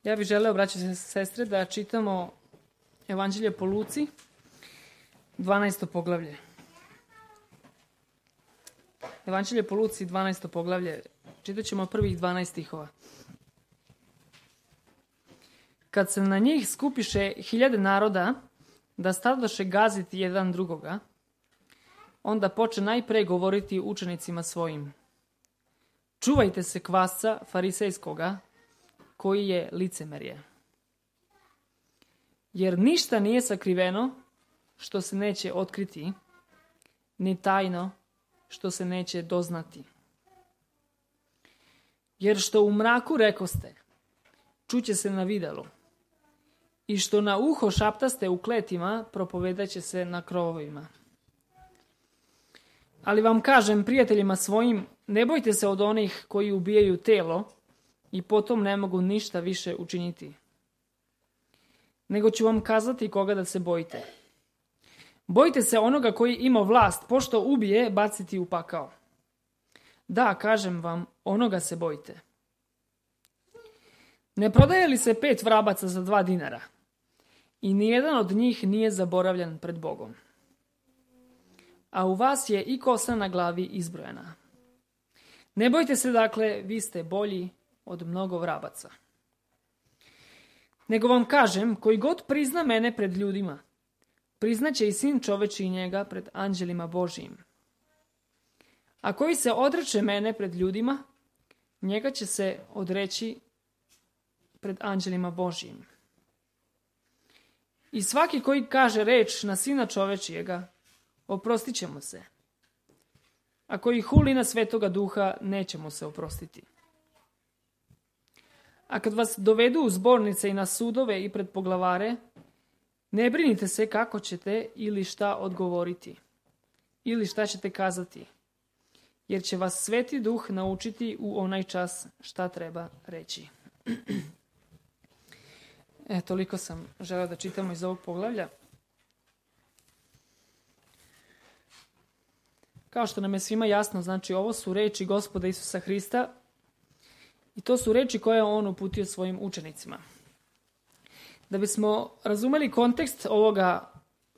Ja bih želeo, braće i sestre, da čitamo Evanđelje po Luci, 12. poglavlje. Evanđelje po Luci, 12. poglavlje. Čitat ćemo prvih 12 stihova. Kad se na njih skupiše 1000 naroda, da stadoše gaziti jedan drugoga, onda poče najpre govoriti učenicima svojim. Čuvajte se kvasca farisejskoga, koji je licemerje. Jer ništa nije sakriveno što se neće otkriti, ni tajno što se neće doznati. Jer što u mraku rekoste, čuće se na videlu, i što na uho šaptaste u kletima, propovedaće se na krovovima. Ali vam kažem, prijateljima svojim, ne bojte se od onih koji ubijaju telo i potom ne mogu ništa više učiniti. Nego ću vam kazati koga da se bojite. Bojte se onoga koji ima vlast, pošto ubije, baciti u pakao. Da, kažem vam, onoga se bojite. Ne prodaje li se 5 vrabaca za 2 dinara? I nijedan od njih nije zaboravljan pred Bogom. A u vas je i kosa na glavi izbrojena. Ne bojte se, dakle, vi ste bolji od mnogo vrabaca. Nego vam kažem, koji god prizna mene pred ljudima, priznaće i Sin čovečiji njega pred anđelima Božijim. A koji se odreče mene pred ljudima, njega će se odreći pred anđelima Božijim. I svaki koji kaže reč na Sina čovečijega, oprostit će mu se. A koji huli na Svetoga Duha, neće mu se oprostiti. A kad vas dovedu u zbornice i na sudove i pred poglavare, ne brinite se kako ćete ili šta odgovoriti, ili šta ćete kazati, jer će vas Sveti Duh naučiti u onaj čas šta treba reći. Toliko sam želeo da čitamo iz ovog poglavlja. Kao što nam je svima jasno, znači ovo su reči Gospoda Isusa Hrista i to su reči koje je on uputio svojim učenicima. Da bismo razumeli kontekst ovoga,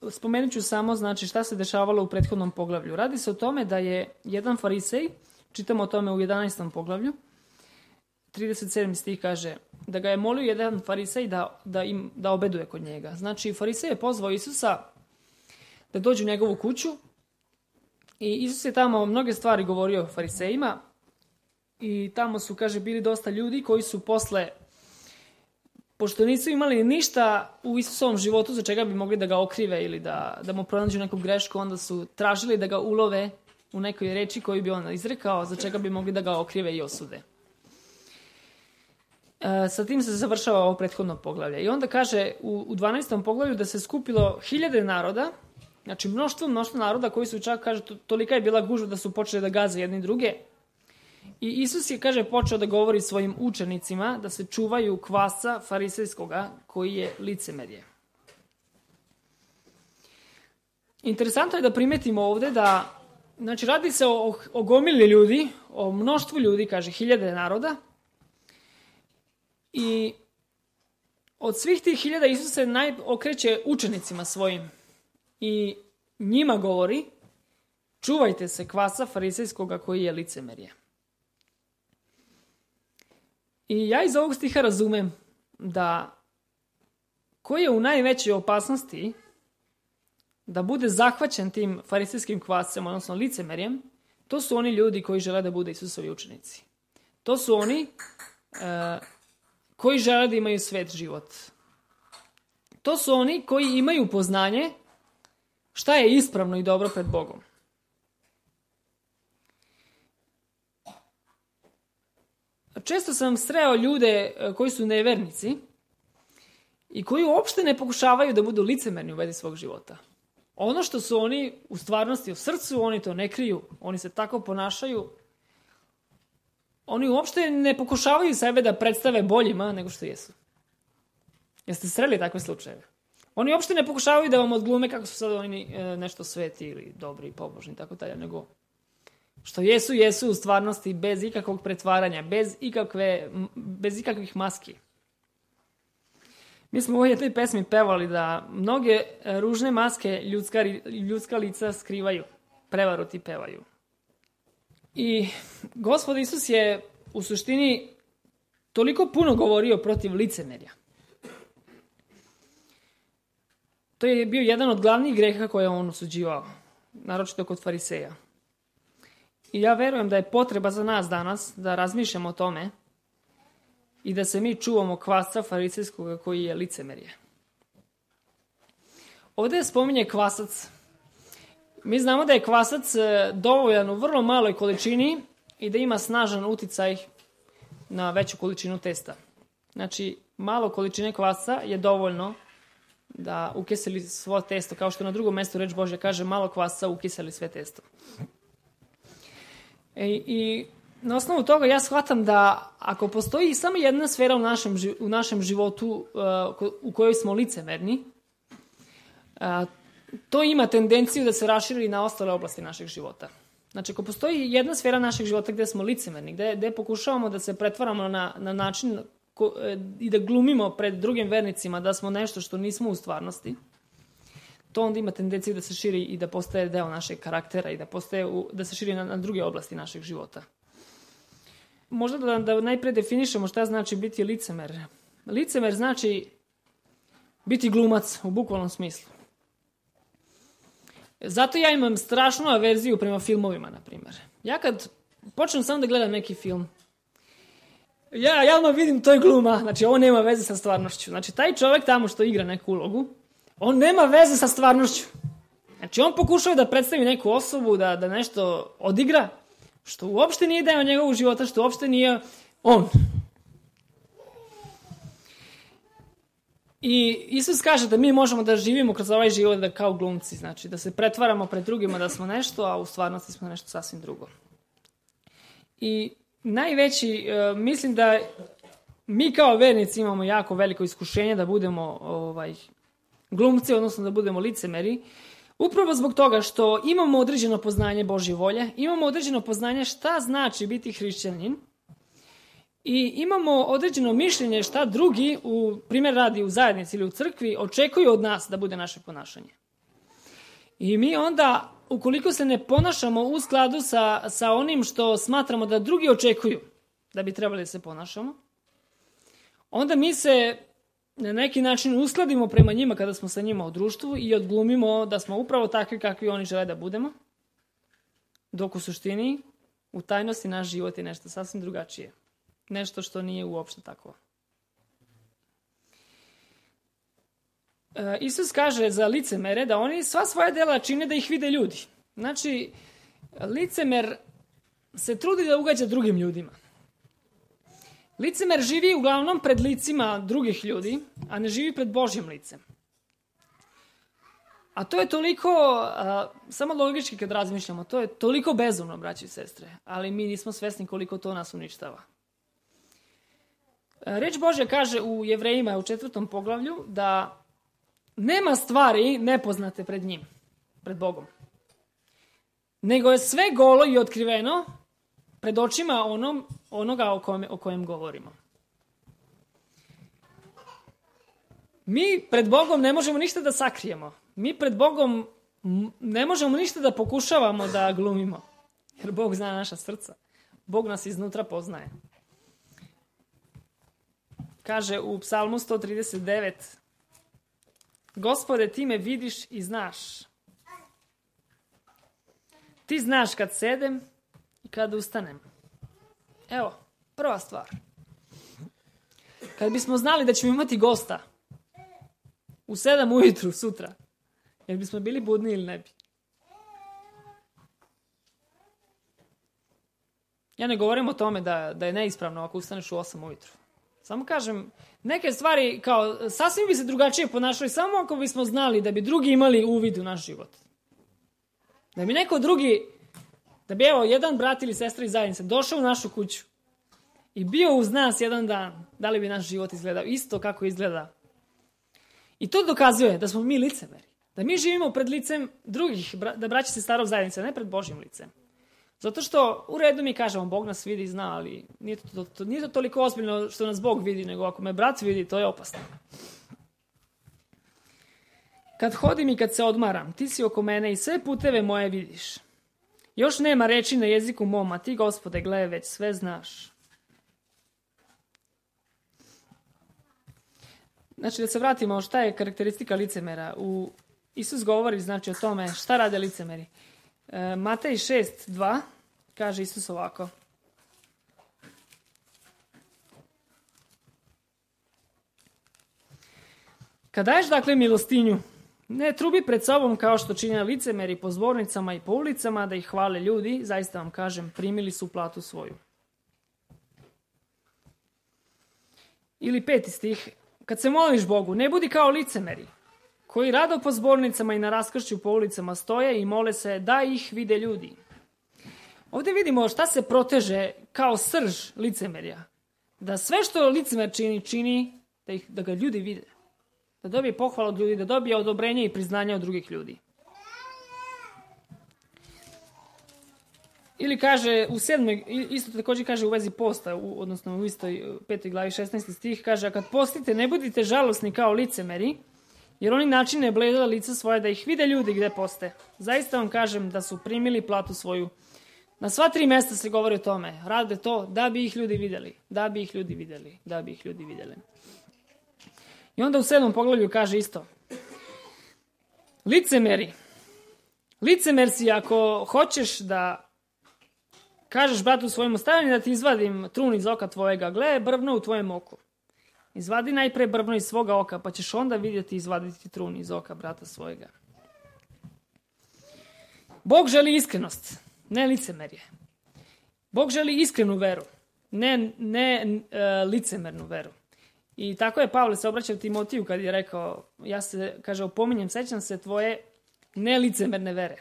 spomenut ću samo znači šta se dešavalo u prethodnom poglavlju. Radi se o tome da je jedan farisej, čitamo o tome u 11. poglavlju, 37. stih kaže da ga je molio jedan farisej da obeduje kod njega. Znači farisej je pozvao Isusa da dođe u njegovu kuću i Isus je tamo mnoge stvari govorio farisejima i tamo su, kaže, bili dosta ljudi koji su posle, pošto nisu imali ništa u Isusovom životu za čega bi mogli da ga okrive ili da mu pronađu neku grešku, onda su tražili da ga ulove u nekoj reči koju bi on izrekao, za čega bi mogli da ga okrive i osude. Sa tim se završava ovo prethodno poglavlje. I onda kaže u 12. poglavlju da se skupilo 1000 naroda, znači mnoštvo naroda koji su čak, kaže, tolika je bila gužva da su počeli da gaze jedni druge. I Isus je, kaže, počeo da govori svojim učenicima da se čuvaju kvasca farisejskoga koji je licemerje. Interesantno je da primetimo ovde da, znači, radi se o gomili ljudi, o mnoštvu ljudi, kaže, 1000 naroda. I od svih tih 1000 Isus se okreće učenicima svojim i njima govori: čuvajte se kvasca farisejskoga koji je licemerje. I ja iz ovog stiha razumem da ko je u najvećoj opasnosti da bude zahvaćen tim farisejskim kvascem, odnosno licemerjem, to su oni ljudi koji žele da bude Isusovi učenici. To su oni koji žele da imaju svet život. To su oni koji imaju poznanje šta je ispravno i dobro pred Bogom. Često sam sreo ljude koji su nevernici i koji uopšte ne pokušavaju da budu licemerni u vezi svog života. Ono što su oni u stvarnosti u srcu, oni to ne kriju. Oni se tako ponašaju. Oni uopšte ne pokušavaju sebe da predstave boljima nego što jesu. Jeste sreli takve slučajeve? Oni uopšte ne pokušavaju da vam odglume kako su sad oni nešto sveti ili dobri i pobožni i tako dalje, nego što jesu u stvarnosti bez ikakvog pretvaranja, bez ikakvih maski. Mi smo u ovoj jednoj pesmi pevali da mnoge ružne maske ljudska lica skrivaju, prevaru ti pevaju. I Gospod Isus je u suštini toliko puno govorio protiv licemerja. To je bio jedan od glavnih greha koje on osuđivao, naročito kod fariseja. I ja verujem da je potreba za nas danas da razmišljamo o tome i da se mi čuvamo kvasca farisejskog koji je licemerje. Ovdje spominje kvasac. Mi znamo da je kvasac dovoljan u vrlo maloj količini i da ima snažan uticaj na veću količinu testa. Znači, malo količine kvasca je dovoljno da ukiseli svo testo, kao što na drugom mjestu reč Božja kaže, malo kvasca ukiseli sve testo. I na osnovu toga ja shvatam da ako postoji samo jedna sfera u našem životu u kojoj smo licemerni, to ima tendenciju da se raširi na ostale oblasti našeg života. Znači, ako postoji jedna sfera našeg života gdje smo licemerni, gdje pokušavamo da se pretvaramo na način i da glumimo pred drugim vernicima da smo nešto što nismo u stvarnosti, to onda ima tendenciju da se širi i da postaje deo našeg karaktera i da se širi na druge oblasti našeg života. Možda da najpre definišemo šta znači biti licemer. Licemer znači biti glumac u bukvalnom smislu. Zato ja imam strašnu averziju prema filmovima, na primjer. Ja kad počnem samo da gledam neki film, ja odmah vidim to je gluma, znači ovo nema veze sa stvarnošću. Znači taj čovjek tamo što igra neku ulogu, on nema veze sa stvarnošću. Znači on pokušava da predstavi neku osobu, da nešto odigra, što uopšte nije deo njegovog života, što uopšte nije on. I Isus kaže da mi možemo da živimo kroz ovaj život da kao glumci, znači da se pretvaramo pred drugima da smo nešto, a u stvarnosti smo nešto sasvim drugo. I najveći, mislim da mi kao vernici imamo jako veliko iskušenje da budemo glumci, odnosno da budemo licemeri, upravo zbog toga što imamo određeno poznanje Božje volje, imamo određeno poznanje šta znači biti hrišćanin i imamo određeno mišljenje šta drugi, primjer radi u zajednici ili u crkvi, očekuju od nas da bude naše ponašanje. I mi onda, ukoliko se ne ponašamo u skladu sa onim što smatramo da drugi očekuju da bi trebali da se ponašamo, onda mi se na neki način uskladimo prema njima kada smo sa njima u društvu i odglumimo da smo upravo takvi kakvi oni žele da budemo, dok u suštini, u tajnosti naš život je nešto sasvim drugačije. Nešto što nije uopšte tako. Isus kaže za licemere da oni sva svoja dela čine da ih vide ljudi. Znači, licemer se trudi da ugađa drugim ljudima. Licemer živi uglavnom pred licima drugih ljudi, a ne živi pred Božjim licem. A to je toliko, samo logički kad razmišljamo, to je toliko bezumno, braći i sestre, ali mi nismo svesni koliko to nas uništava. Reč Božja kaže u Jevrejima u 4. poglavlju da nema stvari nepoznate pred njim, pred Bogom. Nego je sve golo i otkriveno pred očima onoga o kojem govorimo. Mi pred Bogom ne možemo ništa da sakrijemo. Mi pred Bogom ne možemo ništa da pokušavamo da glumimo. Jer Bog zna naša srca. Bog nas iznutra poznaje. Kaže u Psalmu 139: Gospode, ti me vidiš i znaš. Ti znaš kad sedem i kad ustanem. Evo, prva stvar. Kad bismo znali da ćemo imati gosta u 7 ujutru sutra, jer bismo bili budni ili ne bi? Ja ne govorim o tome da je neispravno ako ustaneš u 8 ujutru. Samo kažem, neke stvari kao sasvim bi se drugačije ponašali samo ako bismo znali da bi drugi imali uvid u naš život. Da bi neko drugi, da bi evo jedan brat ili sestra iz zajednice došao u našu kuću i bio uz nas jedan dan, da li bi naš život izgledao isto kako izgleda. I to dokazuje da smo mi licemeri. Da mi živimo pred licem drugih, da braća se starog zajednice, ne pred Božjim licem. Zato što u redu mi kažemo, Bog nas vidi i zna, ali nije to toliko ozbiljno što nas Bog vidi, nego ako me brat vidi, to je opasno. Kad hodim i kad se odmaram, ti si oko mene i sve puteve moje vidiš. Još nema reči na jeziku mom, a ti, Gospode, gle, već sve znaš. Znači, da se vratimo, šta je karakteristika licemera? Isus govori, znači, o tome šta rade licemeri. Matej 6:2 kaže Isus ovako. Kad daješ, dakle, milostinju, ne trubi pred sobom kao što čine licemeri po zbornicama i po ulicama da ih hvale ljudi, zaista vam kažem, primili su platu svoju. Ili 5. stih, kad se moliš Bogu, ne budi kao licemeri, koji rado po zbornicama i na raskršću po ulicama stoje i mole se da ih vide ljudi. Ovdje vidimo šta se proteže kao srž licemerja. Da sve što licemer čini da ga ljudi vide. Da dobije pohvalu od ljudi, da dobije odobrenje i priznanje od drugih ljudi. Ili kaže u 7. isto također kaže u vezi posta, odnosno u istoj 5. glavi 16. stih, kaže, a kad postite ne budite žalosni kao licemeri, jer oni načine bleda lica svoje da ih vide ljudi gde poste. Zaista vam kažem da su primili platu svoju. Na sva 3 mjesta se govori o tome. Rade to da bi ih ljudi vidjeli. Da bi ih ljudi vidjeli. Da bi ih ljudi vidjeli. I onda u 7. poglavlju kaže isto. Licemeri. Licemer si ako hoćeš da kažeš bratu svojemu stani da ti izvadim trun iz oka tvojega. Gle, brvno u tvojem oku. Izvadi najpre brvno iz svoga oka, pa ćeš onda vidjeti izvaditi trun iz oka brata svojega. Bog želi iskrenost, ne licemerje. Bog želi iskrenu veru, ne licemernu veru. I tako je Pavle se obraćao Timotiju kad je rekao, ja se, kaže, opominjem, sećam se tvoje nelicemerne vere.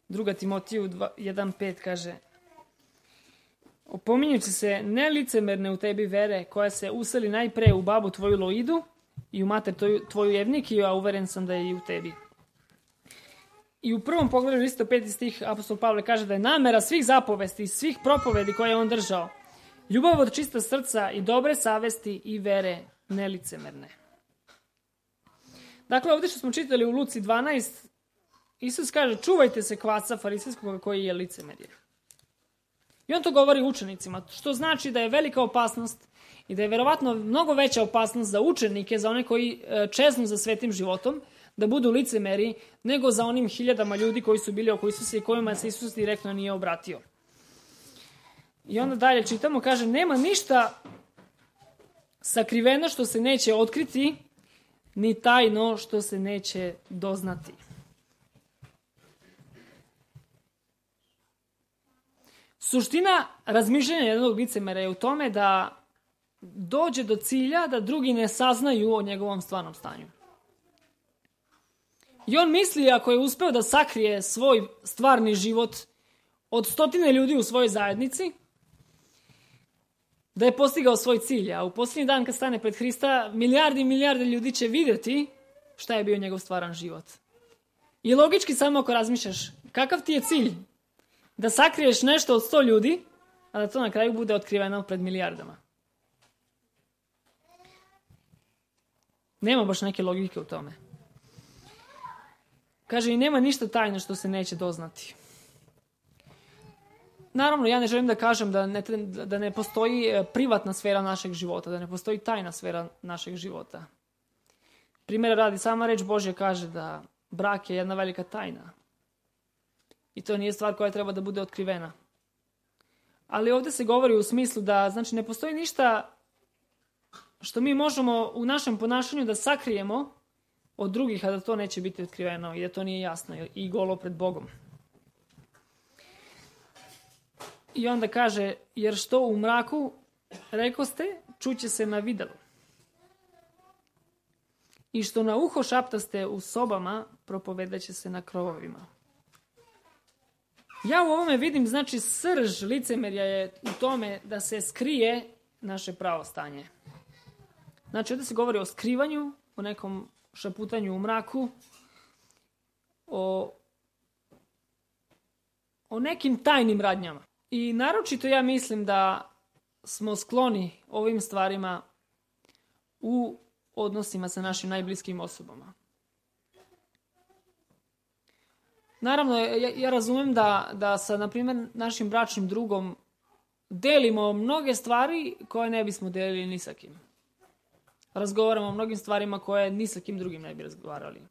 2. Timotiju 1:5 kaže, opominjući se nelicemerne u tebi vere koja se useli najpre u babu tvoju Loidu i u mater tvoju Evnikiju, a uveren sam da je i u tebi. I u 1. poglavlju isto 5. stih apostol Pavle kaže da je namera svih zapovesti i svih propovedi koje je on držao ljubav od čista srca i dobre savesti i vere nelicemerne. Dakle, ovdje što smo čitali u Luci 12, Isus kaže čuvajte se kvasca farisejskog koji je licemerje. I on to govori učenicima, što znači da je velika opasnost i da je verovatno mnogo veća opasnost za učenike, za one koji čeznu za svetim životom, da budu licemeri, nego za onim 1000 ljudi koji su bili oko Isusa i kojima se Isus direktno nije obratio. I onda dalje čitamo, kaže, nema ništa sakriveno što se neće otkriti, ni tajno što se neće doznati. Suština razmišljanja jednog licemera je u tome da dođe do cilja da drugi ne saznaju o njegovom stvarnom stanju. I on misli, ako je uspeo da sakrije svoj stvarni život od 100 ljudi u svojoj zajednici, da je postigao svoj cilj. A u posljednji dan kad stane pred Hrista, milijardi i milijarde ljudi će vidjeti šta je bio njegov stvaran život. I logički samo ako razmišljaš, kakav ti je cilj? Da sakriješ nešto od 100 ljudi, a da to na kraju bude otkriveno pred milijardama. Nema baš neke logike u tome. Kaže, i nema ništa tajno što se neće doznati. Naravno, ja ne želim da kažem da ne postoji privatna sfera našeg života, da ne postoji tajna sfera našeg života. Primjera radi, sama reč Božja kaže da brak je jedna velika tajna. I to nije stvar koja treba da bude otkrivena. Ali ovdje se govori u smislu da, znači, ne postoji ništa što mi možemo u našem ponašanju da sakrijemo od drugih, a da to neće biti otkriveno i da to nije jasno i golo pred Bogom. I onda kaže, jer što u mraku rekoste, čuće se na vidalu. I što na uho šaptaste u sobama, propovedaće se na krovovima. Ja u ovome vidim, znači, srž licemerja je u tome da se skrije naše pravo stanje. Znači, ovdje se govori o skrivanju, o nekom šaputanju u mraku, o nekim tajnim radnjama. I naročito ja mislim da smo skloni ovim stvarima u odnosima sa našim najbliskim osobama. Naravno, ja razumem da sa, na primjer, našim bračnim drugom delimo mnoge stvari koje ne bismo delili ni sa kim. Razgovaramo o mnogim stvarima koje ni sa kim drugim ne bi razgovarali.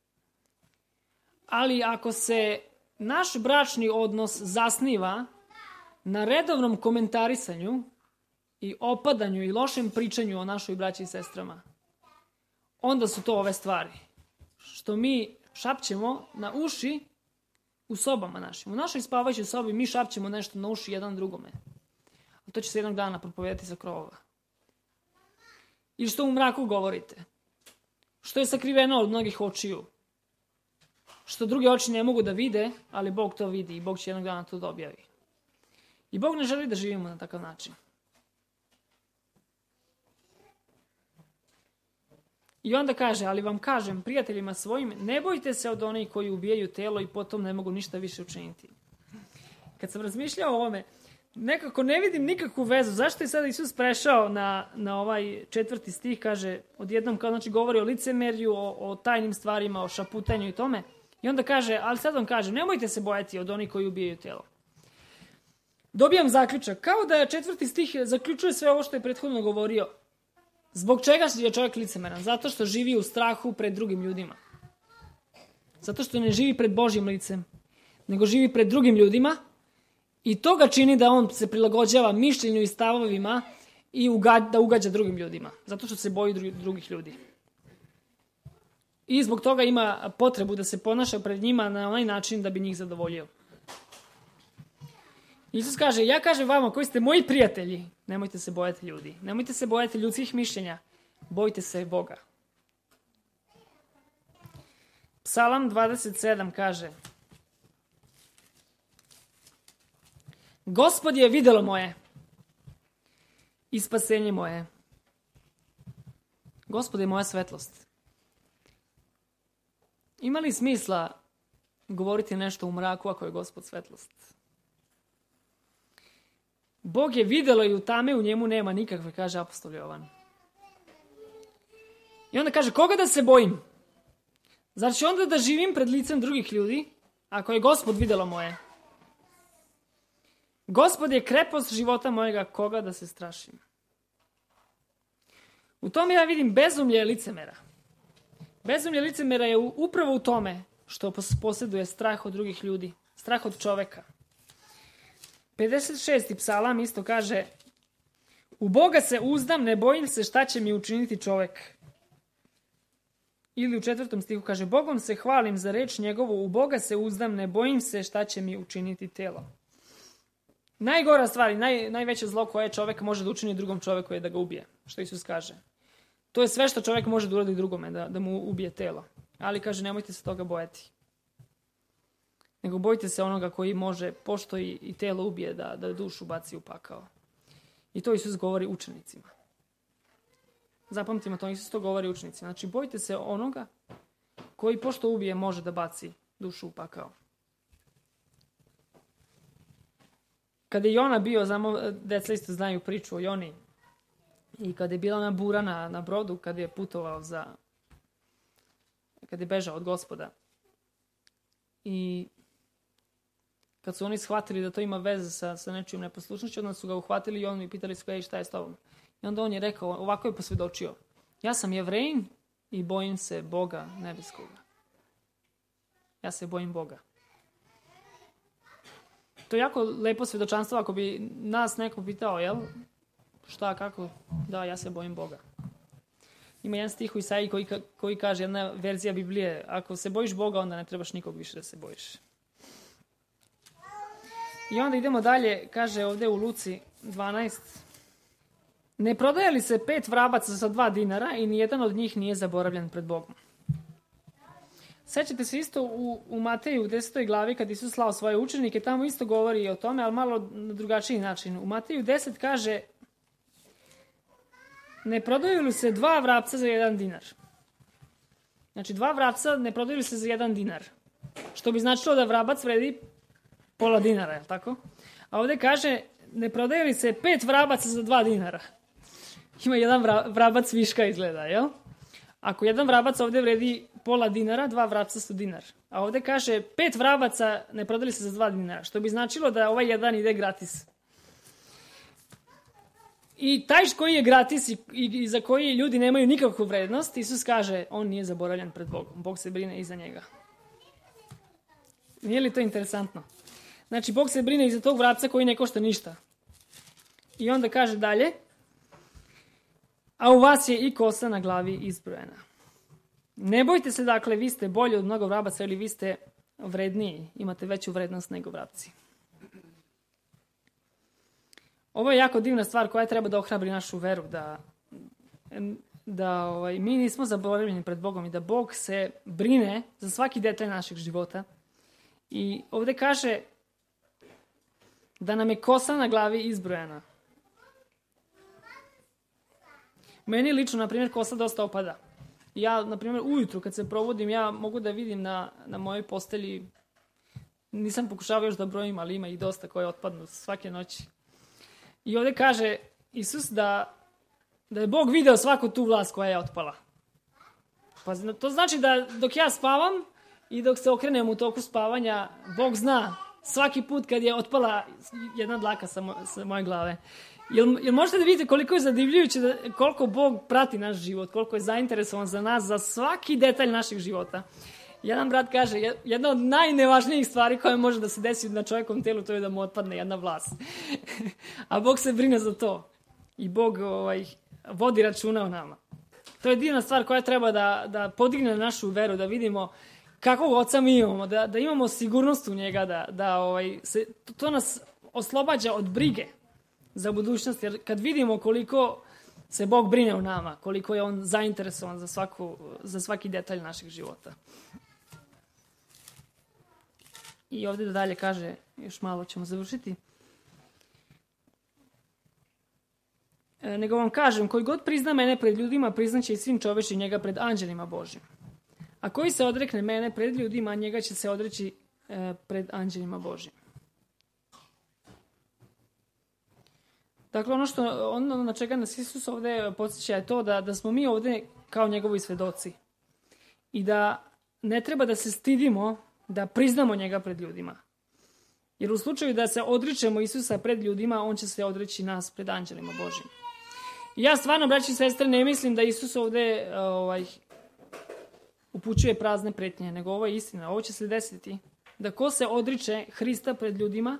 Ali ako se naš bračni odnos zasniva na redovnom komentarisanju i opadanju i lošem pričanju o našoj braći i sestrama, onda su to ove stvari. Što mi šapćemo na uši u sobama našim. U našoj spavajućoj sobi mi šapćemo nešto na uši jedan drugome. A to će se jednog dana propovedati sa krovova. I što u mraku govorite. Što je sakriveno od mnogih očiju. Što druge oči ne mogu da vide, ali Bog to vidi i Bog će jednog dana to da objavi. I Bog ne želi da živimo na takav način. I onda kaže, ali vam kažem, prijateljima svojim, ne bojte se od onih koji ubijaju telo i potom ne mogu ništa više učiniti. Kad sam razmišljao o ovome, nekako ne vidim nikakvu vezu. Zašto je sada Isus prešao na ovaj 4. stih, kaže, odjednom kao znači govori o licemerju, o tajnim stvarima, o šaputanju i tome. I onda kaže, ali sad vam kažem, nemojte se bojati od onih koji ubijaju telo. Dobijam zaključak, kao da je 4. stih zaključuje sve ovo što je prethodno govorio. Zbog čega je čovjek licemeran? Zato što živi u strahu pred drugim ljudima. Zato što ne živi pred Božjim licem, nego živi pred drugim ljudima i to ga čini da on se prilagođava mišljenju i stavovima i da ugađa drugim ljudima. Zato što se boji drugih ljudi. I zbog toga ima potrebu da se ponaša pred njima na onaj način da bi njih zadovoljio. Isus kaže, ja kažem vama koji ste moji prijatelji, nemojte se bojati ljudi. Nemojte se bojati ljudskih mišljenja. Bojte se Boga. Psalam 27 kaže, Gospod je videlo moje i spasenje moje. Gospod je moja svetlost. Ima li smisla govoriti nešto u mraku ako je Gospod svetlost? Bog je videlo i u tame u njemu nema nikakve, kaže apostol Jovan. I onda kaže, koga da se bojim? Zar ću onda da živim pred licem drugih ljudi, ako je Gospod videlo moje? Gospod je krepost života mojega, koga da se strašim? U tome ja vidim bezumlje licemera. Bezumlje licemera je upravo u tome što posjeduje strah od drugih ljudi, strah od čoveka. 56. psalam isto kaže, u Boga se uzdam, ne bojim se šta će mi učiniti čovek. Ili u 4. stihu kaže, Bogom se hvalim za reč njegovu, u Boga se uzdam, ne bojim se šta će mi učiniti telo. Najgora stvar i najveće zlo koje čovek može da učini drugom čoveku je da ga ubije, što Isus kaže. To je sve što čovek može da uradi drugome, da mu ubije telo. Ali kaže, nemojte se toga bojati. Nego bojte se onoga koji može, pošto i telo ubije, da dušu baci u pakao. I to Isus govori učenicima. Zapamtimo to, Isus to govori učenicima. Znači, bojte se onoga koji, pošto ubije, može da baci dušu u pakao. Kada je Jona bio, znamo, deca isto znaju priču o Joni, i kada je bila ona bura na brodu, kada je putovao kada je bežao od Gospoda. I kad su oni shvatili da to ima veze sa nečijom neposlušnošću, onda su ga uhvatili i oni pitali su ga, šta je s tobom? I onda on je rekao, ovako je posvjedočio, ja sam Jevrejin i bojim se Boga nebeskoga. Ja se bojim Boga. To je jako lepo svjedočanstvo ako bi nas neko pitao, jel? Šta, kako? Da, ja se bojim Boga. Ima jedan stih u Isaiji koji kaže, jedna verzija Biblije, ako se bojiš Boga, onda ne trebaš nikog više da se bojiš. I onda idemo dalje, kaže ovdje u Luci 12. Ne prodaje li se 5 vrabaca za 2 dinara i nijedan od njih nije zaboravljen pred Bogom? Sećate se isto u Mateju u 10. glavi kad Isus slao svoje učenike, tamo isto govori o tome, ali malo na drugačiji način. U Mateju 10 kaže, ne prodaju li se 2 vrapca za 1 dinar? Znači 2 vrapca ne prodaju li se za 1 dinar? Što bi značilo da vrabac vredi pola dinara, je li tako? A ovdje kaže, ne prodaju li se 5 vrabaca za 2 dinara? Ima jedan vrabac viška izgleda, jel? Ako jedan vrabac ovde vredi pola dinara, 2 vrabca su dinar. A ovde kaže 5 vrabaca ne prodali se za 2 dinara, što bi značilo da ovaj jedan ide gratis. I taj koji je gratis i za koji ljudi nemaju nikakvu vrednost, Isus kaže, on nije zaboravljen pred Bogom. Bog se brine i za njega. Nije li to interesantno? Znači, Bog se brine i za tog vrapca koji ne košta ništa. I onda kaže dalje, a u vas je i kosa na glavi izbrojena. Ne bojte se, dakle, vi ste bolji od mnogo vrabaca ili vi ste vredniji, imate veću vrednost nego vrapci. Ovo je jako divna stvar koja treba da ohrabri našu veru, da mi nismo zaboravljeni pred Bogom i da Bog se brine za svaki detalj našeg života. I ovde kaže da nam je kosa na glavi izbrojena. Meni lično, na primjer, kosa dosta opada. Ja, na primjer, ujutru kad se provodim, ja mogu da vidim na mojoj postelji, nisam pokušavao još da brojim, ali ima i dosta koje otpadnu svake noći. I ovde kaže Isus da je Bog video svaku tu vlast koja je otpala. Pa to znači da dok ja spavam i dok se okrenem u toku spavanja, Bog zna svaki put kad je otpala jedna dlaka sa moje glave. Jel možete da vidite koliko je zadivljujuće, koliko Bog prati naš život, koliko je zainteresovan za nas, za svaki detalj našeg života. Jedan brat kaže, jedna od najnevažnijih stvari koja može da se desi na čovjekovom telu, to je da mu otpadne jedna vlast. A Bog se brine za to. I Bog vodi računa o nama. To je divna stvar koja treba da podigne našu veru, da vidimo kakvog oca mi imamo, da imamo sigurnost u njega, to nas oslobađa od brige za budućnost, jer kad vidimo koliko se Bog brine o nama, koliko je on zainteresovan za svaki detalj našeg života. I ovdje da dalje kaže, još malo ćemo završiti. Nego vam kažem, koji god prizna mene pred ljudima, priznaće i sin čoveči njega pred anđelima Božjim. A koji se odrekne mene pred ljudima, njega će se odreći pred anđelima Božjim. Dakle, ono na čega nas Isus ovdje podsjeća je to da smo mi ovdje kao njegovi svedoci. I da ne treba da se stidimo da priznamo njega pred ljudima. Jer u slučaju da se odričemo Isusa pred ljudima, on će se odreći nas pred anđelima Božjim. I ja stvarno, braći i sestre, ne mislim da Isus ovdje upućuje prazne pretnje, nego ovo je istina. Ovo će se desiti. Da ko se odriče Hrista pred ljudima,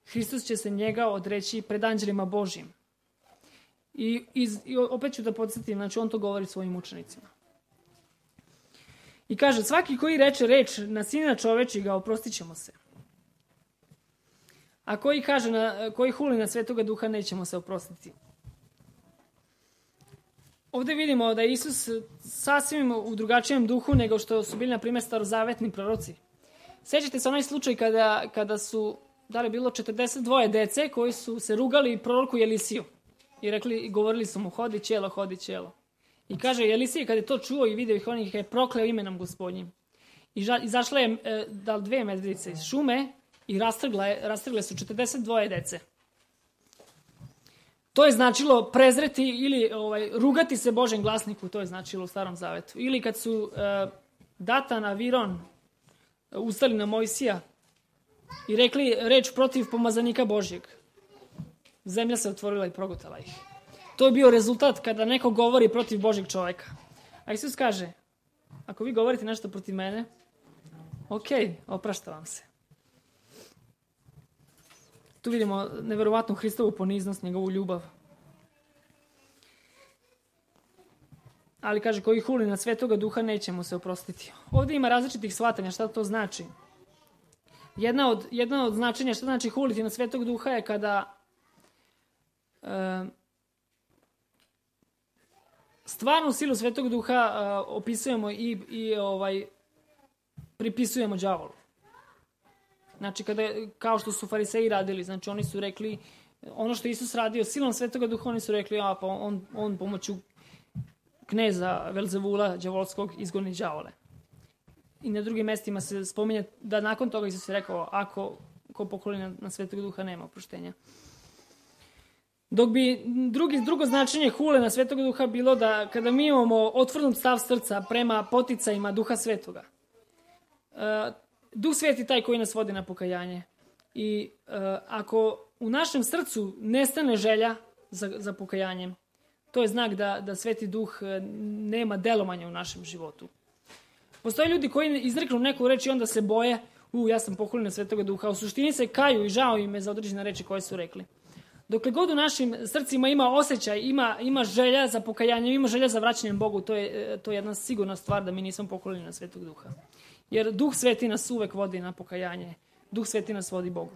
Hristos će se njega odreći pred anđelima Božjim. I opet ću da podsjetim, znači on to govori svojim učenicima. I kaže, svaki koji reče reč na sina čovečiga, oprostit ćemo se. A koji huli na Svetoga Duha, nećemo se oprostiti. Ovdje vidimo da je Isus sasvim u drugačijem duhu nego što su bili, na primjer, starozavetni proroci. Sjećate se onaj slučaj kada su, da li je bilo 42 dece koji su se rugali proroku Elisiju i govorili su mu, hodi ćelo, hodi ćelo. I kaže, Elisije kad je to čuo i vidio ih, on ih je prokleo imenom Gospodnjim. I izašla je 2 medvjedice iz šume i rastrgle su 42 dece. To je značilo prezreti ili rugati se Božem glasniku, to je značilo u Starom Zavetu. Ili kad su Datan, Aviron ustali na Mojsija i rekli reč protiv pomazanika Božjeg. Zemlja se otvorila i progutala ih. To je bio rezultat kada neko govori protiv Božjeg čovjeka. A Isus kaže, ako vi govorite nešto protiv mene, ok, oprašta vam se. Tu vidimo neverovatnu Hristovu poniznost, njegovu ljubav. Ali kaže, koji huli na Svetoga Duha, neće mu se oprostiti. Ovdje ima različitih shvatanja šta to znači. Jedna od značenja šta znači huliti na Svetog Duha je kada stvarnu silu Svetog Duha opisujemo i pripisujemo đavolu. Znači, kao što su fariseji radili, znači oni su rekli, ono što Isus radio silom Svetoga Duha, oni su rekli, pa on pomoću kneza Velzevula, đavolskog, izgoni đavole. I na drugim mjestima se spominje da nakon toga Isus je rekao, ako ko pokoli na Svetog Duha nema oproštenja. Dok bi drugo značenje hule na Svetog Duha bilo da kada mi imamo otvornut stav srca prema poticajima Duha Svetoga, Duh Sveti taj koji nas vodi na pokajanje. I ako u našem srcu nestane želja za pokajanjem, to je znak da Sveti Duh nema delovanja u našem životu. Postoje ljudi koji izreknu neku reč i onda se boje, ja sam pohuljen na Svetoga Duha, a u suštini se kaju i žao im je za određene reči koje su rekli. Dokle god u našim srcima ima osjećaj, ima želja za pokajanjem, ima želja za vraćanjem Bogu, to je jedna sigurna stvar da mi nismo pohuljeni na Svetog Duha. Jer Duh Sveti nas uvek vodi na pokajanje. Duh Sveti nas vodi Bogu.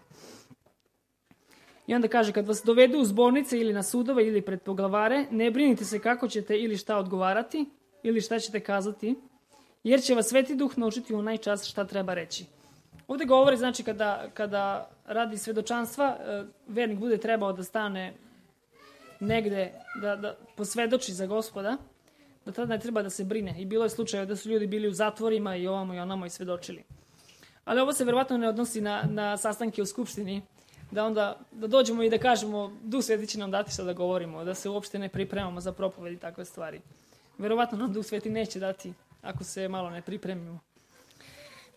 I onda kaže, kad vas dovedu u zbornice ili na sudove ili pred poglavare, ne brinite se kako ćete ili šta odgovarati ili šta ćete kazati, jer će vas Sveti Duh naučiti u onaj čas šta treba reći. Ovdje govori, znači, kada radi svedočanstva, vernik bude trebao da stane negde, da posvedoči za Gospoda, da tada ne treba da se brine. I bilo je slučaje da su ljudi bili u zatvorima i ovamo i onamo i svedočili. Ali ovo se verovatno ne odnosi na sastanke u skupštini, da dođemo i da kažemo Duh Sveti će nam dati šta da govorimo, da se uopšte ne pripremamo za propoved i takve stvari. Verovatno nam Duh Sveti neće dati ako se malo ne pripremimo.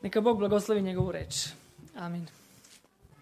Neka Bog blagoslovi njegovu reč. Amin.